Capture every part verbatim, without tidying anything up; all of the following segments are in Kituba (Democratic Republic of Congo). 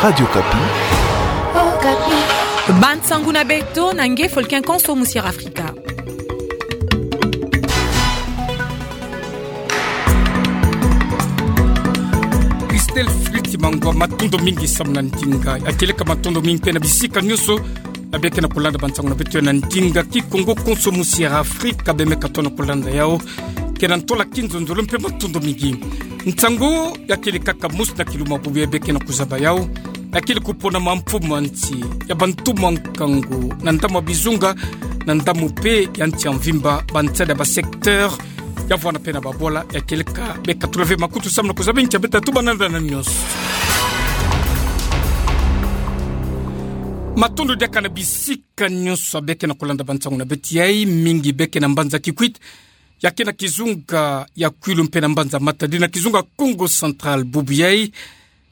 Radio Okapi. Okapi. Bansangu na beto na nge Folkin Konso Musiera Afrika. Christelle Fritz Mangwa, matondo mingi samu na ndinga. Ya kieleka matondo mingi mpe na bisika nyonso ya beke na kulanda bansangu na beto na ndinga Kikongo Konso Musiera Afrika, bemeka tona kulanda yau. Kena ntola kinzonzolo mpe matondo mingi. Nsangu ya kieleka kaka mosi na kiluma bubu ya beke na kuzaba yau. Ya kieleka kupona ma mfumu a nsi, ya bantu mwa nkangu, na ndambu ya bizunga, na ndambu mpe ya nsi ya mvimba, bansada ba secteur, ya vwanda mpe na babwala, ya kieleka beka tula ve makutu samu na kuzaba ntia beta tuba na nda na nyonso. Matondo diaka na bisika nyonso ya beke na kulanda bansangu na beto yai, mingi beke na mbanza Kikwit, ya ke na kizunga ya Kwilu mpe na mbanza Matadi na kizunga Kongo Central bubu yai,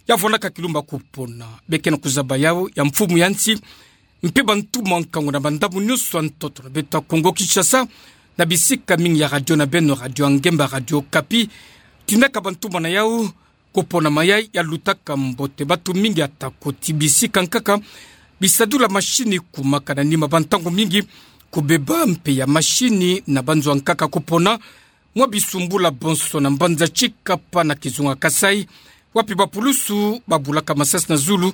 ya vwandaka kilumba kupona. Beke na kuzaba yau ya mfumu ya nsi, mpe bantu mwa nkangu na bandambu nyonso ya ntoto na beto ya Kongo Kinshasa, na bisika mingi ya radio na beno, Radio Ngemba, Radio Okapi, tindaka bantu mwa na yau, kupona mayai ya lutaka mbote. Batu mingi ya tako ti bisika nkaka, bisadulu ya mashini kumaka na nima bantangu mingi, kubeba mpe ya mashini na banzo ya nkaka kupona, mwa bisumbula bonso na mbanza Tshikapa na kizunga Kasaï, wapi bapulusu babulaka masasi na zulu,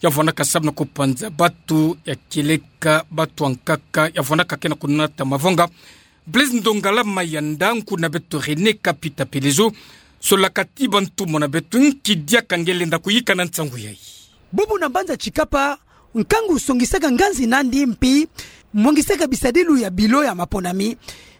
ya vwandaka samu na kupanza batu, ya kieleka batu ya nkaka, ya vwandaka ke na kunata mavonga. Blaise Ndongala Mayanda, nkuna beto René Kapita Pelezo, solaka ti bantu mwa na beto nki diaka nge lenda kuyika na nsangu yai. Bubu na mbanza Tshikapa, nkangu songisaka nganzi nandi mpi, mwangisaka bisadilu ya bilo ya maponami,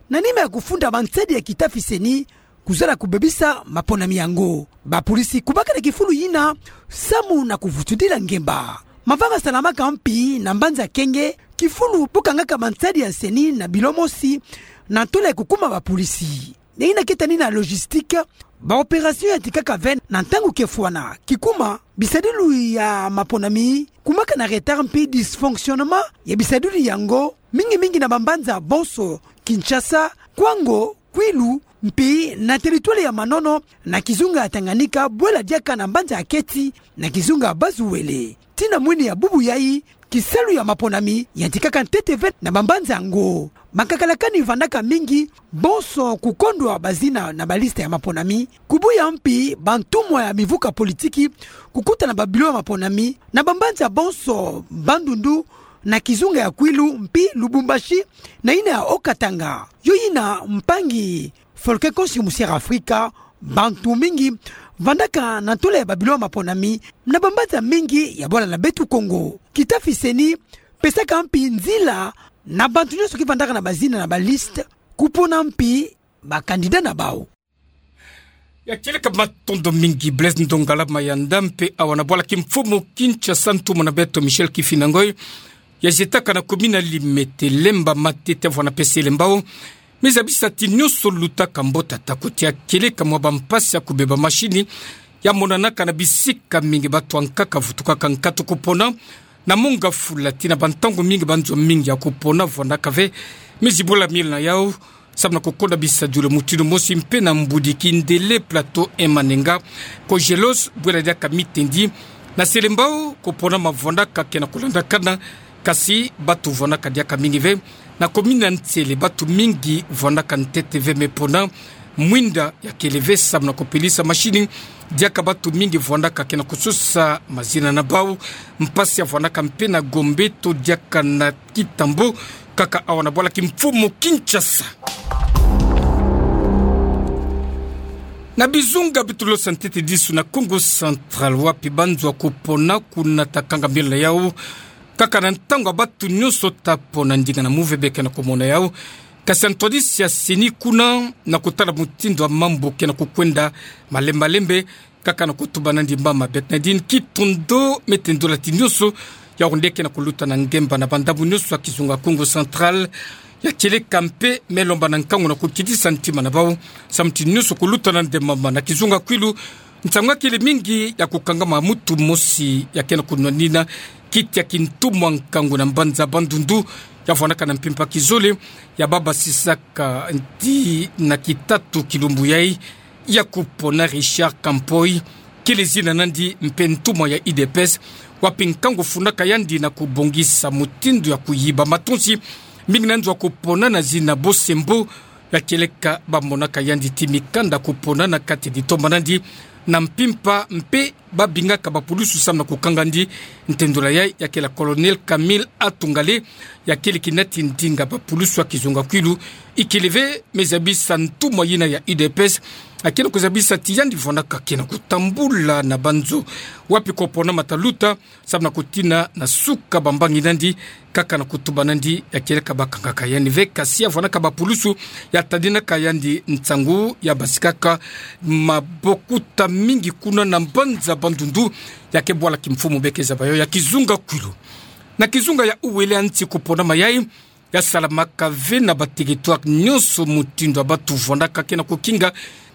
na nima ya kufunda mansadi ya kita fiseni, kuzala kubebisa maponami yango. Bapolisi kubaka na kifulu yina, samu na kuvutudila ngemba. Mavanga salamaka mpi na mbanza Kenge, kifulu bu kangaka mansadi ya nseni na bilo mosi, na ntwala ya kukuma bapolisi. Na yina ke tani na logistique, ba opération yantikaka ve na ntangu ke fwana. Kikuma, bisadilu ya maponami, kumaka na retard mpi dysfonctionnement ya bisadilu yango, mingi mingi na bambanza bonso, Kinshasa, Kwango, Kwilu, mpi na territoire ya Manono, na kizunga ya Tanganyika, bwela diaka na mbanza ya Keti, na kizunga ya Bas-Uele. Tii na mwini ya bubu yai, kisalu ya maponami yantikaka ntete ve na bambanza yango. Makakalakani vandaka mingi, bonso kukondwa bazina na baliste ya maponami, kubuya mpi bantumwa ya mivuka politiki, kukuta na babilo ya maponami, na bambanza bonso, Bandundu, na kizunga ya Kwilu, mpi Lubumbashi, na yina ya Haut-Katanga. Yo yina mpangi Folkin Konso Musiera Afrika, bantu mingi vandaka na ntwala ya babilo ya maponami, na bambanza mingi ya bwala na beto Kongo. Kita fiseni pesaka mpi nzila na bantu nyonso ki vandaka na bazina na baliste, kupona mpi ba candidat na bau. Ya kieleka matondo mingi Blaise Ndongala Mayanda, mpe awa na bwala kimfumu Kinshasa ntumwa na beto Michel Kifina Ngoy, ya zietaka na commune ya Limete, lemba matete vwana pese lembao. Meza bisa ti nyonso lutaka mbote, atako ti ya kieleka mwa bampasi ya kubeba mashini, ya monanaka na bisika mingi, batu ya nkaka vutukaka nkatu kupona, na monga fula tii na bantangu mingi, banzo mingi ya kupona vwanaka ve. Mezi bula mil na yau, samu na kukonda bisadilu mutindu mosi mpe na mbudi Kindele, Plateau et Manenga, Kogelos, bwela diaka mitendi. Na selembao, kupona mavwanaka ke na kulandakana, kasi batu vwanaka diaka mingi ve. Na commune ya Nsele, batu mingi vwanaka ntete ve, me pona mwinda ya kele ve samu na kupelisa mashini, diaka batu mingi vwanaka ke na kusosa mazina na bau. Mpasi ya vwanaka mpe na Gombe to diaka na Kitambo, kaka awa na bwala kimfumu Kinshasa. Na bizunga bitolosa ntete disu na Kongo Central, wapi banzo ya kupona kuna ta kanga mila yau, kaka na ntangu ya batu nyonso ta pona, ndinga na muve beke na kumona yau. Kasi antwadisi ya seni kuna na kutala mutindu ya mambu ke na kukwenda malembe malembe, kaka na kutuba nandi mama Bernadine Kitondo, me tendula ti nyonso ya onde ke na kuluta na ngemba na bandambu nyonso ya kizunga Kongo Central, ya kieleka mpe me lomba na nkangu na kukitisa ntima na bau, samu ti nyonso kuluta nandi mama. Na kizunga Kwilu, nsangu ya kele mingi ya kukangama mutu mosi ya ke na kunwanina kiti ya kintu mwa nkangu na mbanza Bandundu, ya vwanaka na mpimpa kizole, ya babasisaka ti na kitatu kilumbu yai, ya kupona Richard Kampoy, kele zina nandi mpe ntumwa ya U D P S, wapi nkangu funaka yandi na kubongisa mutindu ya kuyiba matonsi, mingi na nzo ya kupona na zina bosembo, ya kieleka bamonaka yandi ti mikanda kupona na kati ditoma nandi, na mpimpa mpe babingaka bapulusu samu na kukanga ndi. Ntendola yayi ya kele Colonel Camille Atungale, ya kele kinati ndinga bapulusu ya kizunga kwilu, ikele ve me zabisa ntumwa yina ya U D P S, akena kuzabisa ti yandi vwanaka kena kutambula na banzo wapi kupona mata luta, samu na kutina na suka bambangi nandi, kaka na kutuba nandi, ya kieleka bakangaka yandi ve, kasi ya vwanaka bapulusu ya tadinaka yandi nsangu ya basikaka mabokuta mingi kuna na mbanza Bandundu, ya ke bwala kimfumu beke zaba yo ya kizunga kwilu. Na kizunga ya uwele ya nsi kuponama yayi, ya salamaka ve na baterritware nyonso mutindu ya batu vwanaka kena kukinga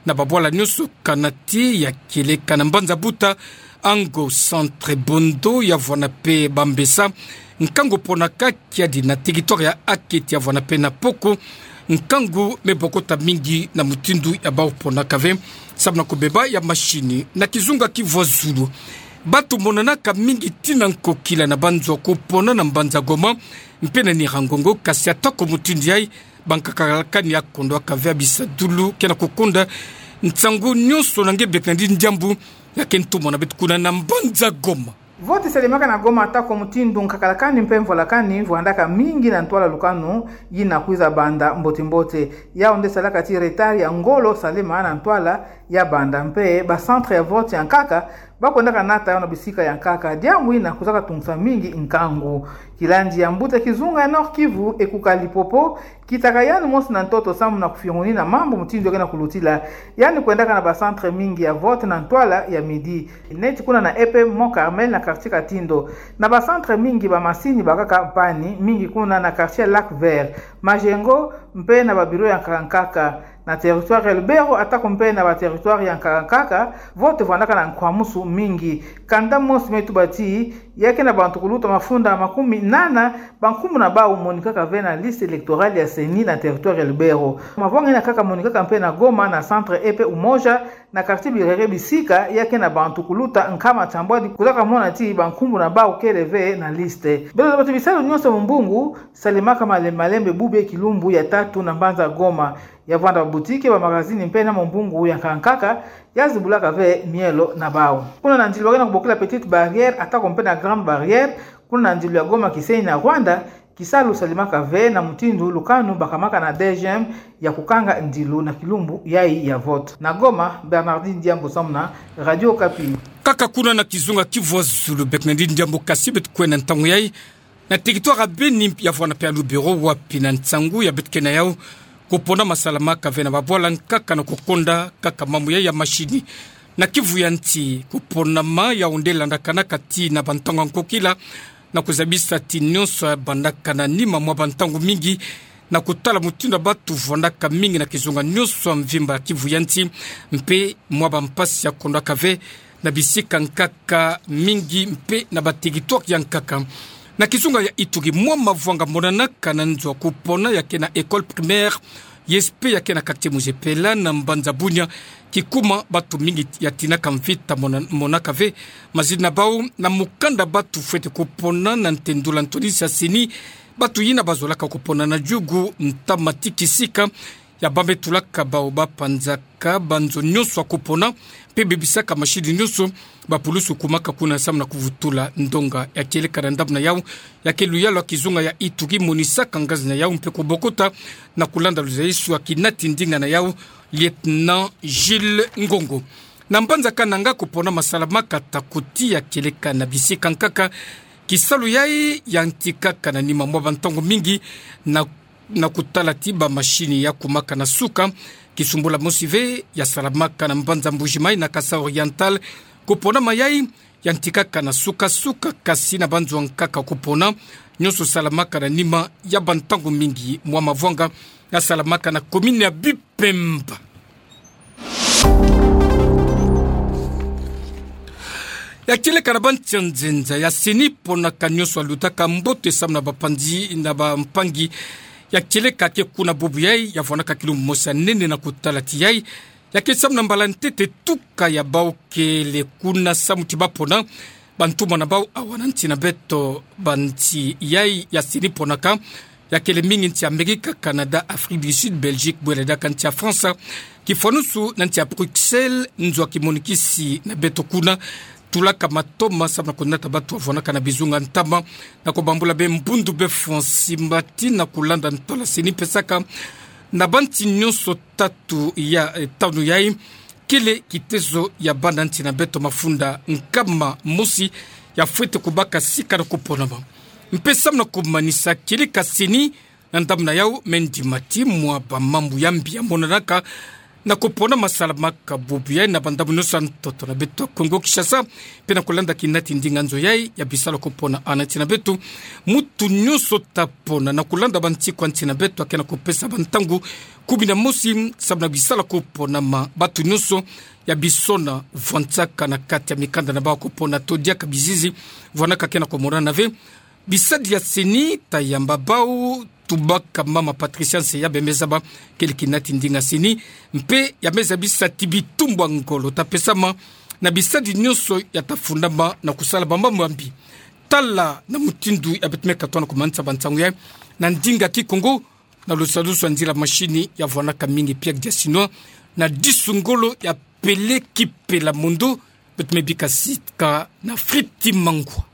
na babwala nyonso, kanati ya kieleka na mbanza Buta, Ango, Centre, Bondo, ya vwana mpe Bambessa. Nkangu ponaka kiadi na territware ya Aketi, ya vwana mpe na Poko. Nkangu me bokota mingi na mutindu ya bau ponaka ve, samu na kubeba ya masini. Na kizunga kivwa zulu, batu monanaka mingi tina nkokila na banzo ya kupona na mbanza Goma mpe na Nyiragongo, kasi atako mutindu yayi, bankaka lakani ya kondwaka ve ya bisadulu kena kukonda nsangu nyonso na nge bek na ndi ndiambu ya ke ntumwa na beto kuna na mbanza Goma. Vote salemaka na Goma atako mutindu nkaka lakani mpe mvwa lakani vwandaka mingi na ntwala lukanu yina kwiza banda mbote-mbote. Yawu nde salaka ti retard ya ngolo salema na ntwala ya banda mpe ba centre ya vote ya nkaka bakwendaka nata yawu na bisika ya nkaka, diambu yina kwizaka tungisa mingi nkangu. Kilandi ya mbuta kizunga ya Nord-Kivu, Ekuka Lipopo, kitaka yandi mosi na ntoto samu na kufiongonina mambu mutindu ya kena kulutila. Yandi kwendaka na ba centre mingi ya vote na ntwala ya midi, neti kuna na E P Mont Carmel na quartier Katindo. Na ba centre mingi bamasini bakaka panne, mingi kuna na quartier Lac Vert, Majengo, mpe na ba bureau ya nkaka nkaka. Na territoire ya Lubero atako mpe na ba territoire ya nkaka nkaka, vote vwandaka na nkwamusu mingi. Kanda mosi me tuba ti ya ke na bantu kuluta mafunda makumi nana, bankumbu na bau monikaka ve na liste électorale ya CENI na territoire ya Lubero. Mavwanga yina kaka monikaka mpe na Goma na centre E P Umoja, na quartier Birere, bisika ya ke na bantu kuluta nkama tiambwadi kwizaka mona ti bankumbu na bau kele ve na liste. Beto zaba ti bisalu nyonso ya mumbungu salemaka malembe-malembe bubu ya kilumbu ya tatu na mbanza Goma. Ya vwanda ba boutique, ba magazine mpe na mumbungu ya nkaka nkaka ya zibulaka ve mielo na bau. Kuna na ndilu ba ke na kubokila Petite Barrière atako mpe na Grande Barrière, kuna na ndilu ya Goma-Kisenyi na Rwanda, kisalu salemaka ve na mutindu lukanu bakamaka na D G M ya kukanga ndilu na kilumbu yayi ya vote. Na Goma, Bernardine Diambu samu na Radio Okapi. Kaka kuna na kizunga kivwa zulu, Bernardine Diambu, kasi beto kwenda ntangu yayi na territoire ya Beni, ya vwana mpe ya Lubero, wapi na nsangu ya beto ke na yau, kuponama salamaka ve na babwala nkaka na kukonda kaka mambu yayi ya masini. Na Kivu ya nsi, kuponama yawu nde landakanaka tii na bantangu ya nkokila, na kuzabisa ti nyonso ya bandaka na nima mwa bantangu mingi, na kutala mutindu ya batu vwandaka mingi na kizunga nyonso ya mvimba ya Kivu ya nsi, mpe mwa bampasi ya kondwaka ve na bisika nkaka mingi mpe na ba territoire ya nkaka. Na kizunga ya Ituri, mwa mavwanga monanaka na nzo ya kupona ya ke na école primaire I S P ya ke na quartier Muzepela na mbanza Bunia, kikuma batu mingi ya tinaka mvita mona-, monaka ve mazina na bau na mukanda batu fwete kupona na ntendula ntoni sa CENI. Batu yina bazolaka kupona na diugu ntama ti kisika ya bambetulaka bau bapanzaka banzo nyonso ya kupona, mpe bebisaka mashini nyonso, bapulusu kumaka kuna samu na kuvutula ndonga ya kieleka na ndambu na yau. Ya ke luyalu ya kizunga ya Ituri monisaka ngazi na yau mpe kubokota na kulanda luzaisu ya kinati ndinga na yau, Lieutenant Jules Ngongo. Na mbanza Kananga, kuponama salamaka ata kuti ya kieleka na bisika nkaka. Kisalu yayi yantikaka na nima mwa bantangu mingi na na kutala ti bamashini ya kumaka na suka. Kisumbula mosi ve ya salamaka na mbanza Mbuji-Mayi na Kasaï Oriental, kuponama yayi yantikaka na suka-suka, kasi na banzo ya nkaka kupona, nyonso salamaka na nima ya bantangu mingi. Mwa mavwanga ya salamaka na commune ya Bipemba. Ya kieleka na bansi ya nzenza, ya CENI ponaka nyonso alutaka mbote samu na bapanzi na bampangi ya kieleka ke kuna bubu yayi, ya vwanaka kilumbu mosi ya nene na kutala ti yayi Ya ke samu na mbala ntete tuka ya bau kele kuna samu ti bapona bantumwa na bau awa na nti na beto, ba nti yai ya seni ponaka, ya kele mingi nti Amerika, Canada, Afrique du Sud, Belgique, bwele daka nti ya France, kifwanusu na nti ya Bruxelles, nzo a kimonikisi na beto kuna, tulaka matoma samu na kunata batu avwanaka na bizunga ntama, na kubambula be mbundu be France mbati na kulanda ntola seni pesaka na banti nyonso tatu ya, eh, tanu yai, kele kitezo ya bana nti na beto mafunda nkama mosi ya fwete kubaka sika na kuponama. Mpe samu na kumanisa kieleka seni, na ndamuna yau, Mendy Mathy, mwa bamambu ya mbi ya monanaka na kupona masalamaka bubu yai na bandambu nyonso a ntoto na beto Kongo Kinshasa, mpe na kulanda kinati ndinga nzo yai ya bisala kupona a nti na beto, mutu nyonso ta pona na kulanda bantikwa nti na beto ake na kupesa bantangu kumi na mosi samu na bisala kupona ma batu nyonso ya bisona vwantsaka na kati ya mikanda na bau kupona to diaka bizizi vwanaka ke na kumonana ve. Bisadi ya seni ta yamba bau tubaka mama Patricia Nseya bembe zaba kele kinati ndinga seni, mpe ya meza bisati bitumbwa ngolo ta pesama na bisadi nyonso ya ta fundama na kusala bamambu ya mbi. Tala na mutindu ya beto me katoa na kumanisa bansangu yai na ndinga Kikongo, na lusadusu a nzila mashini ya vwanaka mingi Pierre Diasinoa, na disu ngolo ya Pele Kipela Mondo, beto me bika sika na Fritz Mangwa.